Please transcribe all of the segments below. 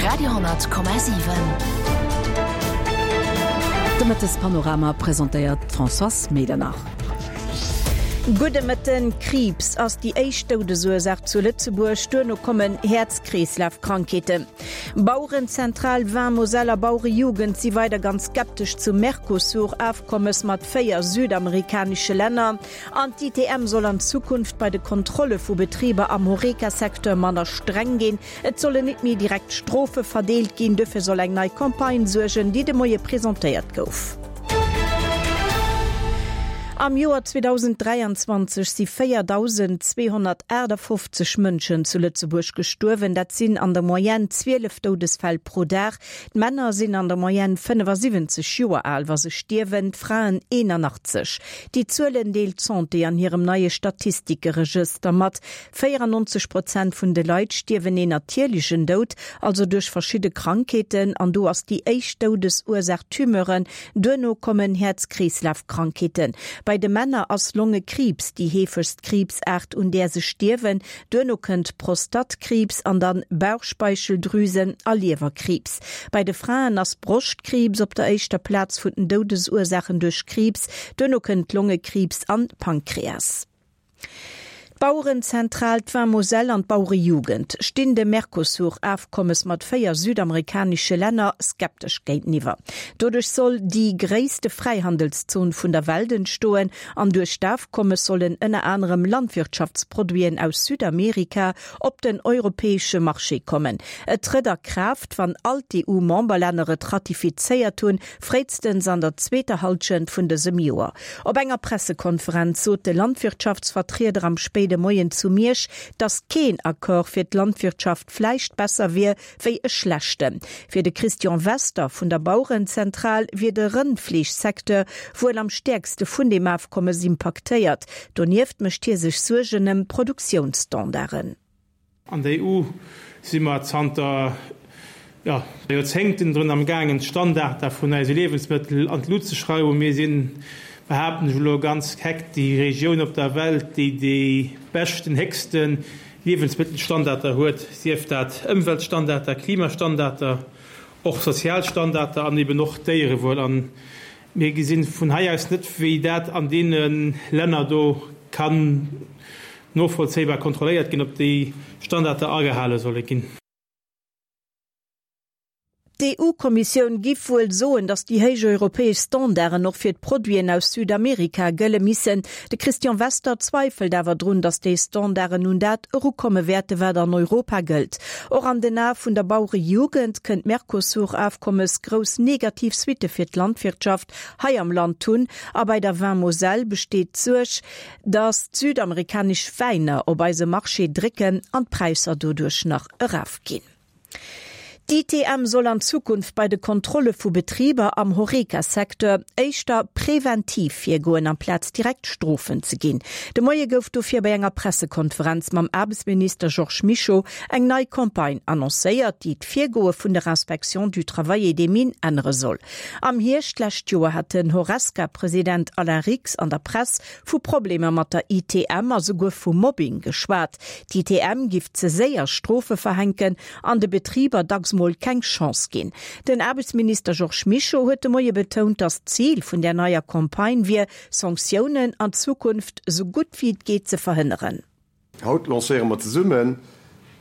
Radio,7. De Mëttespanorama presentéiert d'Françoise Medernach. Gudde Mëtten. Kriibs ass déi éischt Doudesursaach zu Lëtzebuerg, duerno kommen Häerz-Kreeslaf-Krankheeten. Bauerenzentral Vin Moselle a Bauerejugend si weider ganz skeptesch zum Mercosur-Afkommes mat 4 südamerikanesche Länner. An d'ITM soll an Zukunft bei de Kontrolle vu Betriber am Horeca-Secteur manner streng ginn. Et sollen nit méi direkt Strofe verdeelt ginn. Dofir soll eng nei Campagne suergen, déi de Moie presentéiert gouf. Am Joer 2023 si 4.258 Mënschen zu Lëtzebuerg gestuerwen. Dat sinn an der Moyenne 12 Doudesfäll pro Dag. D'Männer sinn an der Moyenne 75 Joer al, wa se stierwen, d'Fraen 81. Déi Zuelen deelt d'Santé an hirem neie Statistikeregëster mat. 94 Prozent vun de Leit stierwen een natierlechen Doud, also duerch verschidde Krankheeten, an do ass déi éischt Doudesursaach Tumeuren, duerno kommen Häerz-Kreeslaf-Krankheeten. Bei de Männer ass Longekriibs déi heefegst Kriibsaart, un där se stierwen, Duerno kënnt Prostattkriibs an dann Bauchspeicheldrüsen a Liewerkriibs. Bei de Fraen ass Broschtkriibs op der éischter Plaz vun den Doudesursaachen duerch Kriibs, duerno kënnt Longekriibs an Pankreas. D'Bauerenzentral, d'Vin Moselle an d'Bauerejugend stinn dem Mercosur-Afkommes mat 4 südamerikanesche Länner skeptesch géinteniwwer. Doduerch soll déi gréisste Fräihandelszon vun der Welt entstoen An duerch d'Afkommes sollen ënner anerem Landwirtschaftsproduiten aus Südamerika op den europäesche Marché kommen. Et trëtt a Kraaft, wann all d'EU-Memberlänner et ratifizéiert hunn, fréistens an der zweeter Hallschent vun dësem Joer. Op enger Pressekonferenz sot de Landwirtschaftsvertrieder am spéide Moien zu Miersch, datt keen Accord fir d'Landwirtschaft vläicht besser wier, wéi e schlechten. Fir de Christian Wester vun der Bauerenzentral wier de Rëndfleeschsecteur wuel am stäerkste vun deem Afkommes impaktéiert. Donieft mécht hie sech Suergen ëm d'Produktiounsstandarden. An der EU si mer zanter, jo, Joerzéngten drun am gaangen, d'Standarder vun eise Liewensmëttel an d'Lut ze schrauwen. Mir sinn, behaapten ech elo ganz keck, déi Regioun op der Welt, déi déi beschten, héchsten Liewensmëttelstandarder huet, sief dat Ëmweltstandarder, Klimastandarder, och Sozialstandarder an eben och Déierewuel. A mir gesi vun hei aus net, wéi dat an deene Länner do kann novollzéibar kontrolléiert ginn, ob déi Standarder agehale solle ginn. D'EU-Kommissioun giff wuel soen, datt déi héich europäesch Standarden och fir d'Produiten aus Südamerika gëlle missen. De Christian Wester zweifelt awer drun, datt déi Standarden un dat erukomme wäerte wat an Europa gëllt. Och an den Ae vun der Bauerejugend kënnt d'Mercosur-Afkommes grouss negativ Suitte fir d'Landwirtschaft hei am Land hunn. A bei der Vin Moselle besteet d'Suerg, datt d'südamerikanesch Wäiner op eise Marché drécken an d'Präisser doduerch nach erafginn. D'ITM soll an Zukunft bei de Kontrolle vu Betriber am Horeca-Secteur éischter preventiv virgoen, amplaz direkt Strofen ze ginn. De Moie gouf dofir bei enger Pressekonferenz mam Aarbechtsminister Georges Mischo eng nei Campagne annoncéiert, déi d'Virgoe vun der Inspection du Travail et des Mines ännere soll. Am Hierscht d'lescht Joer hat den Horesca-President Alain Rix an der Press vu Problemer mat der ITM a souguer vu Mobbing geschwat. D'ITM giff ze séier Strofe verhänken an de Betriber dacks mol keng Chance ginn. Den Aarbechtsminister Georges Mischo huet de Moie betount, datt d'Zil vun där neier Campagne wier, Sanktiounen an Zukunft sou gutt wéi et geet ze verhënneren. Haut lancéiere mer zesummen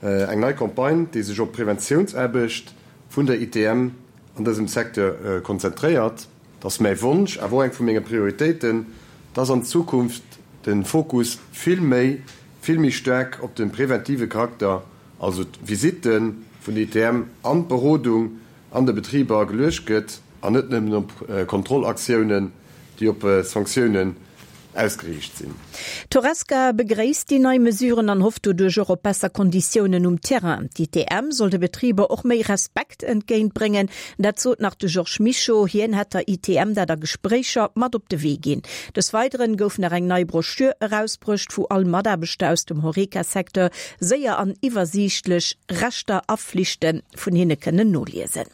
eng nei Campagne, déi sech op d'Preventiounsaarbecht vun der ITM an dësem Secteur konzentréiert. Et ass mäi Wonsch, awer och eng vu menge Prioritéiten, dass an Zukunft de Fokus vill méi, vill méi staark op de preventive Charakter, also d'Visitte vun der ITM an d'Berodung an de Betriber geluecht gëtt an net nëmmen op Kontrollaktiounen, déi op Sanktiounen ausgeriicht sinn. D'Horesca begréisst déi nei Mesuren an hofft doduerch och op besser Konditiounen um Terrain. D'ITM soll de Betriber och méi Respekt entgéint bréngen. Dat sot nach de Georges Mischo. Hien hätt der ITM dat a Gespréicher mat op de Wee ginn. Des Weideren gouf nach eng nei Broschür erausbruecht, wou all Mataarbechter aus dem Horeca-Secteur séier an iwwersiichtlech Rechter a Flichte vun hinne kënnen noliesen.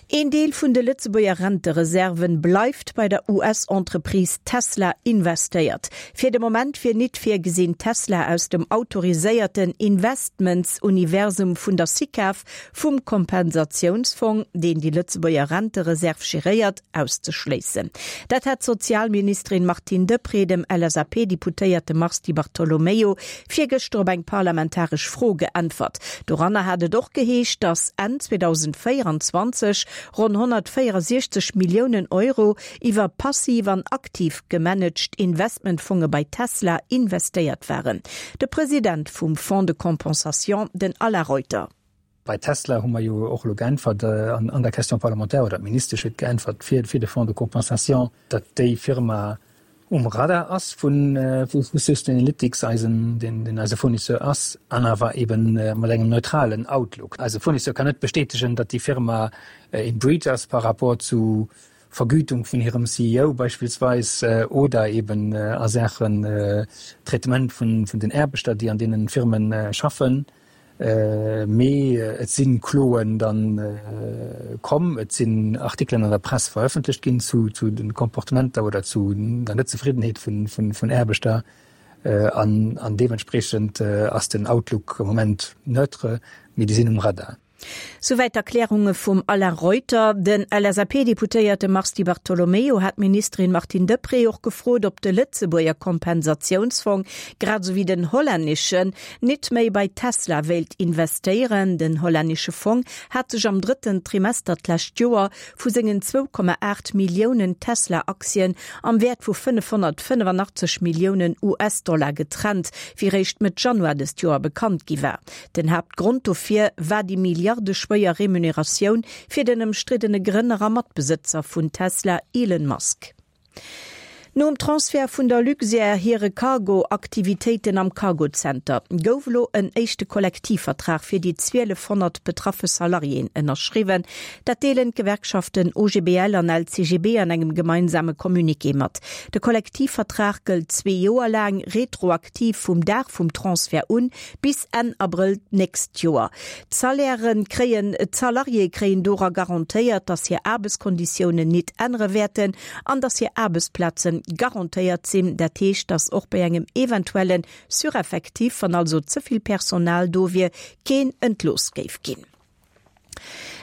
Een Deel vun de Lëtzebuerger Rentereserven bleift bei der US-Entreprise Tesla investéiert. Fir de Moment wier nit virgesinn, Tesla aus dem autoriséierten Investments-Universum vun der SICAV vum Kompensatiounsfong, deen déi Lëtzebuerger Rentereserv geréiert, auszeschléissen. Dat hat d'Sozialministerin Martine Deprez dem LSAP-Deputéierte Mars Di Bartolomeo virgëschter op eng parlamentaresch Fro geäntwert. Doranner hat et och geheescht, datt Enn 2024 ronn 164 Milliounen Euro iwwer passiv an aktiv gemanaged Investmentfonge bei Tesla investéiert waren. De President vum Fonds de compensation, den Alain Reuter. Bei Tesla hu mer jo och elo geäntwert an der Question parlementaire, oder d'Ministesch huet geäntwert fir de Fonds de compensation, datt déi Firma um Radar ass vu Sustainalytics, eisen, deen eise Fournisseur ass, an awer ebe mat engem neutralen Outlook. Eise Fournisseur kann net bestätegen, datt déi Firma in breach ass par rapport zu Vergütung vun hirem CEO beispillsweis oder eben a Saachen Traitement vun den Aarbechter, déi an deenen Firmen schaffen. Mee et si Kloen da komm, et sinn Artikelen an der Press verëffentlecht ginn zu de Comportementer oder zu der Netzefriddenheet vun Aarbechter. An deementspreechend ass den Outlook am Moment neutre, mee déi sinn um Radar. Souwäit d'Erklärunge vum Alain Reuter. Den LSAP-Deputéierte Mars Di Bartolomeo hat d'Ministerin Martine Deprez och gefrot, ob de Lëtzebuerger Kompensatiounsfong, grad esou wéi den hollänneschen, nit méi bei Tesla wéilt investéieren. Den hollännesche Fong hat sech am drëtten Trimester d'lescht Joer vu sengen 2,8 Milliounen Tesla-Aktien am Wäert vu 585 Milliounen US-Dollar getrennt, wéi réischt Mëtt Januar dëst Joer bekannt gi war. Den Haaptgrond dofir war déi milliardeschwéier Remuneratioun fir den ëmstriddene Grënner a Matbesëtzer vun Tesla, Elon Musk. Nom Transfert vun der Luxair hire Cargo-Aktivitéiten am Cargo-Zenter gouf elo en éischte Kollektivvertrag fir déi 1.200 betraffe Salariéen ënnerschriwwen. Dat deelen d'Gewerkschaften OGBL an LCGB an engem gemeinsame Communiqué mat. De Kollektivvertrag gëllt zwee Joer laang, retroaktiv vum Dag vum Transfert un, bis Enn Abrëll d'nächst Joer. D'Salairen kréien, d'Salariéë kréien dora garantéiert, datt hir Aarbechtskonditiounen nit ännere wäerten an datt hir Aarbechtsplaze garantéiert sinn. Dat heescht, datt och bei engem eventuelle Sureffectif, wann also ze vill Personal do wier, keen entlooss géif ginn.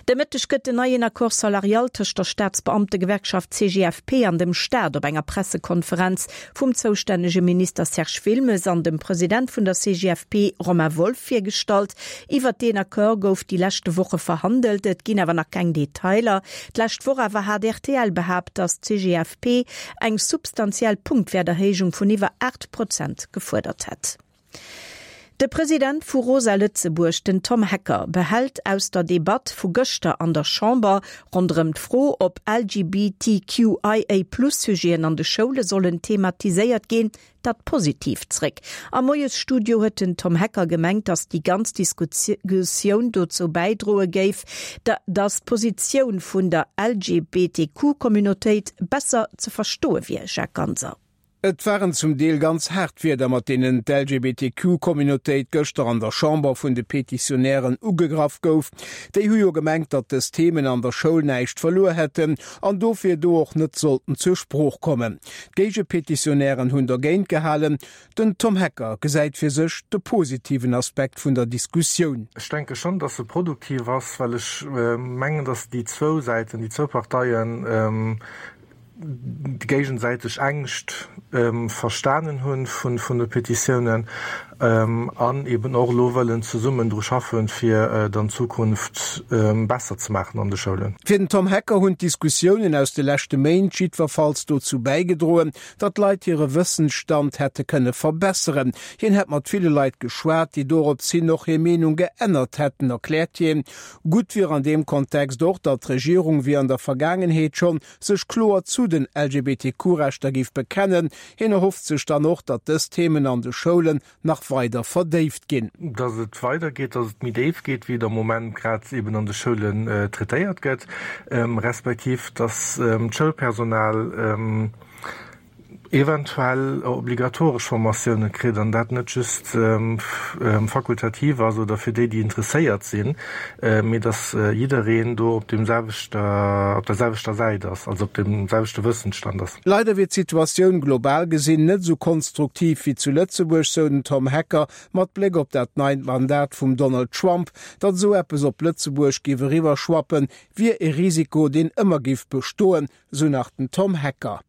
De Mëtteg gëtt den neien Accord salarial tëscht der Staatsbeamtegewerkschaft CGFP an dem Staat op enger Pressekonferenz vum zoustännege Minister Serge Wilmes an dem President vun der CGFP Romain Wolff virgestallt. Iwwert deen Accord gouf déi leschte Woche verhandelt, et ginn awer nach keng Detailer. D'lescht Woch awer hat rtl behaapt, datt d'CGFP eng substantiell Punktwäerterhéijung vun iwwer 8 Prozent gefuerdert hätt. De President vu Rosa Lëtzebuerg, den Tom Hecker, behält aus der Debatt vu gëschter an der Chamber ronderëm d'Fro, ob LGBTQIA-Plus-Sujeten an de Schoule sollen thematiséiert ginn, dat Positiivt zréck. Am Moiesstudio huet den Tom Hecker gemengt, datt déi ganz Diskussioun dozou bäidroe géif, datt d'Positioun vun der LGBTQ-Communautéit besser ze verstoe wier. Jacques Ganser. Et waren zum Deel ganz haart Wierder, mat deenen d'LGBTQ-Communautéit gëschter an der Chamber vun de Petitionären ugegraff gouf. Déi hu jo gemengt, datt dës Themen an der Schoul näischt verluer hätten an dofir do och net sollten zur Sprooch kommen. D'Géigepetitionären hunn dergéint gehalen. Den Tom Hecker gesäit fir sech de positiven Aspekt vun der Diskussioun. Ech denke schonn, datt se produktiv ass, well ech mengen, datt déi zwou Säiten, déi zwou Parteien, déi géigesäiteg Ängscht verstanen hunn vun de Petitiounen an eben och elo wëllen zesummen dru schaffen, fir et an Zukunft besser ze maachen an de Schoulen. Fir den Tom Hecker hunn d'Diskussiounen aus de leschte Méint jiddwerfalls dozou bäigedroen, datt d'Leit hire Wëssensstand hätte kënne verbesseren. Hien hätt mat ville Leit geschwat, déi dorops hin och hir Meenung geännert hätten, erkläert hien. Gutt wier an deem Kontext och, datt d'Regierung, wéi an der Vergaangenheet schonn, sech kloer zu den LGBTQ-Rechter géif bekennen. Hien erhofft sech dann och, datt dës Themen an de Schoulen nach weider verdéift ginn. Datt et weidergeet, datt et méi déif geet, wéi et am Moment grad eben an de Schoulen traitéiert gëtt, respektiv datt d'Schoulpersonal. eventuell obligatoresch Formatioune kritt an dat net just fakultativ ass oder fir déi, déi interesséiert sinn, mee datt jiddereen do op deem selwechter, op der selwechter Säit ass, also op deem selwechte Wëssensstand ass. Leider wier d'Situatioun global gesinn net esou konstruktiv wéi zu Lëtzebuerg, sou den Tom Hecker mat Bléck op dat neit Mandat vum Donald Trump. Datt esou eppes op Lëtzebuerg géif eriwwerschwappen, wier e Risiko, deen ëmmer géif bestoen, sou nach den Tom Hecker.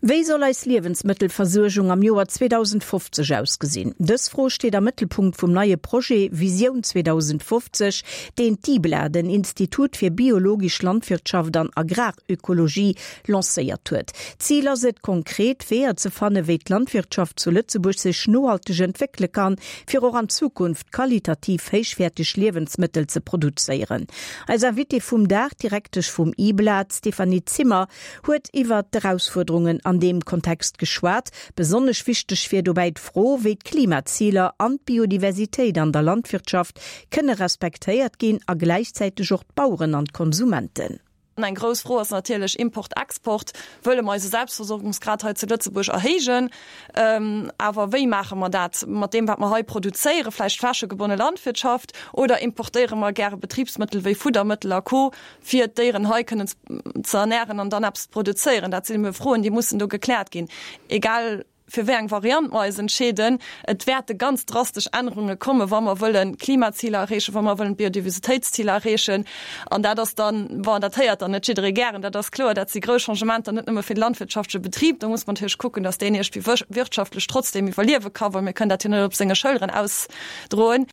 Wéi soll eis Liewensmëttelversuergung am Joer 2050 ausgesinn? Dës Fro steet am Mëttelpunkt vum neie Projet Visioun 2050, deen d'IBLA, den Institut fir biologesch Landwirtschaft an Agrarökologie, lancéiert huet. Zil ass et, konkret Weeër ze fannen, wéi d'Landwirtschaft zu Lëtzebuerg sech nohalteg entwéckele kann, fir och an Zukunft qualitativ héichwäerteg Liewensmëttel ze produzéieren. Eis Invitée vum Dag, d'Direktesch vum IBLA, d'Stéphanie Zimmer, huet iwwert d'Erausfuerderungen an deem Kontext geschwat. Besonnesch wichteg wier dobäi d'Fro, wéi d'Klimaziler an d'Biodiversitéit an der Landwirtschaft kënne respektéiert ginn a gläichzäiteg och d'Baueren an d'Konsumenten. Eng grouss Fro ass natierlech Import-Export. Wëlle mer eise Selbstversorgungsgrad hei zu Lëtzebuerg erhéijen? Awer wéi maache mer dat? Mat deem, wat mer hei produzéieren, vläicht flächegebonne Landwirtschaft, oder importéiere mer gäre Betribsmëttel wéi Fuddermëttel a Co. Fir d'Déieren hei kënnen ze ernären an dann eppes ze produzéieren? Dat sinn ebe Froen, déi mussen do gekläert ginn. Egal fir wéi eng Variant mer eis entscheeden, et wäerte ganz drastesch Ännerunge kommen, wa mer wëllen d'Klimaziler erreechen, wa mer wëllen d'Biodiversitéitsziler erreechen. An dat ass dann, bon, dat héiert dann net jidderee gären, dat ass kloer, dat si grouss Changementer, net nëmme fir de landwirtschaftleche Betrib. Do muss mer natierlech kucken, datt deen iergendwéi wirtschaftlech trotzdem iwwerliewe kann, well mir kënnen dat jo net op senge Schëlleren ausdroen.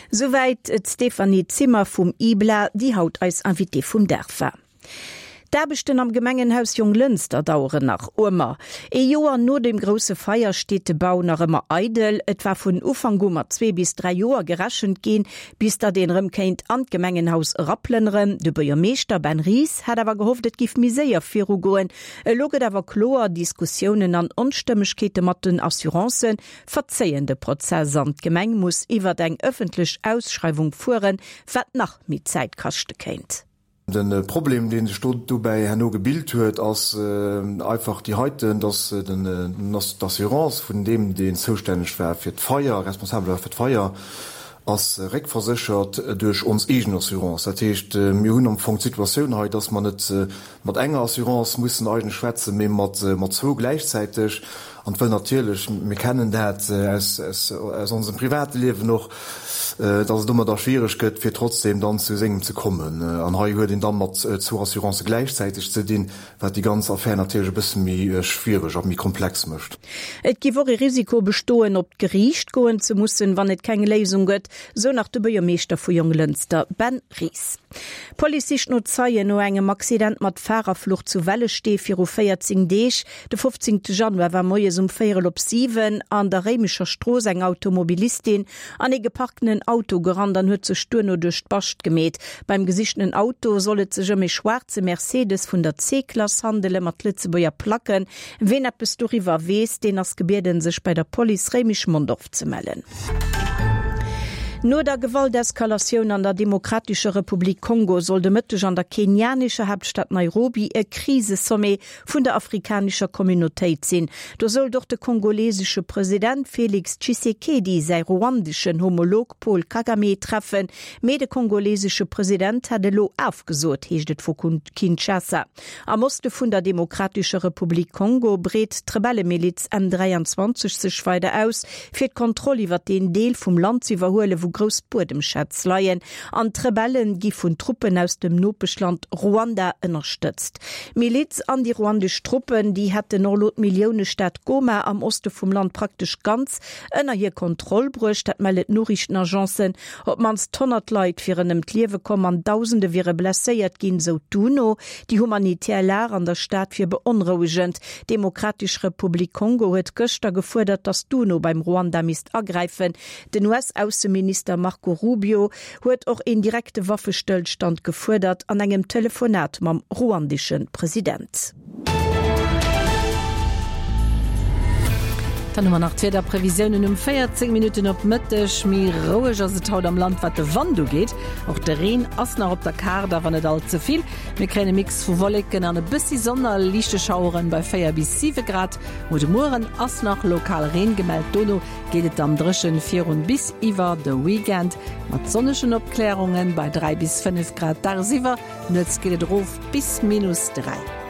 Souwäit d'Stéphanie Zimmer vum IBLA, déi haut eis Invitée vum Dag war. D'Aarbechten am Gemengenhaus Jonglënster daueren nach ëmmer. Ee Joer no dem grousse Feier steet de Bau nach ëmmer eidel. Et war vun Ufank u mat zwee bis 3 Joer gerechent ginn, bis datt een erëm kéint an d'Gemengenhaus eraplënneren. De Buergermeeschter Ben Ries hat awer gehofft, et giff méi séier virugoen. Elo gëtt awer kloer, Diskussiounen an Onstëmmegkeete mat den Assurancen verzéien de Prozess an d'Gemeng muss iwwert eng ëffentlech Ausschreiwung fueren, wat nach méi Zäit kaschte kéint. De Problem, dee sech do dobäi herno gebilt huet, ass einfach déi heiten, dass d'Assurance vun deem, deen zoustänneg war fir d'Feier, responsabel war fir d'Feier, ass réckverséchert duerch ons eegen Assurance. Dat heescht, mir hunn am Fong d'Situatioun hei, dass mer net mat enger Assurance mussen eigentlech schwätzen, mee mat zwou gläichzäiteg. An wëll natierlech, mir kennen dat aus onsem private Liewen och, datt et domadder schwiereg gëtt, fir trotzdem dann zu sengem ze kommen. An hei huet een da mat zwou Assurancë gläichzäiteg ze dinn, wat déi ganz Affär natierlech e bësse méi schwiereg a méi komplex mécht. Et géif och e Risiko bestoen, op d'Geriicht goen ze mussen, wann et keng Léisung gëtt, sou nach de Buergermeeschter vu Jonglënster, Ben Ries. D'Police sicht no Zeien no engem Accident mat Farerflucht zu Wellesstee viru 14 Deeg. De 15 Januar war moies um véierel op 7 an der Réimecher Strooss eng Automobilistin an ee geparktenen Auto gerannt an huet sech duerno duerch d'Bascht gemeet. Beim gesichtenen Auto soll et sech ëm ee schwaarze Mercedes vun der C-Klass handele mat Lëtzebuerger Placken. Ween eppes doriwwer weess, deen ass gebieden sech bei der Police Réimech-Mondorf ze mellen. No der Gewalteskalatioun an der Demokratescher Republik Kongo soll de Mëtteg an der kenianescher Haaptstad Nairobi e Krisesommet vun der afrikanescher Communautéit sinn. Do sollt och de kongolesesche President Félix Tshisekedi säi ruandeschen Homolog Paul Kagame treffen. Mee de kongolesesche President hätt elo afgesot, heescht et vu Kinshasa. Am Oste vun der Demokratescher Republik Kongo breet d'Rebellemiliz M23 sech weider aus, fir d'Kontroll iwwer deen Deel vum Land z'iwwerhuelen, wou grouss Buedemschätz leien. An d'Rebelle gi vun Truppen aus dem Nopeschland Ruanda ënnerstëtzt. D'Miliz an déi ruandesch Truppen, déi hätten och elo d'Milliounestad Goma am Oste vum Land praktesch ganz ënner hir Kontroll bruecht. Dat melle d'Noriichtenagencen. Op d'mannst 100 Leit wieren ëm d'Liewe komm an Dausende wiere blesséiert ginn, sou d'UNO. Déi humanitär Lag an der Stad wier beonrouegend. D'Demokratesch Republik Kongo huet gëschter gefuerdert, datt d'UNO beim Ruanda misst agräifen. Den US-Ausseminister Marco Rubio huet och een direkte Waffestëllstand gefuerdert an engem Telefonat mam ruandesche President. Dann hu mer nach d'Wiederprevisiounen um 14 Minutten op Mëtteg. Méi roueg ass et haut am Land wat de Wand ugeet. Och de Reen ass nach op der Kaart, awer net all ze vill. Mir kréien e Mix vu Wolleken an e bëssi Sonn a liichte Schaueren bei 4 bis 7 Grad. Muer de Mueren ass nach lokal Reen gemellt, dono geet et dann dréchen virun bis iwwer de Weekend mat sonnegen Opklärungen bei 3 bis 5 Grad dagsiwwer. Nuets geet et erof bis minus 3.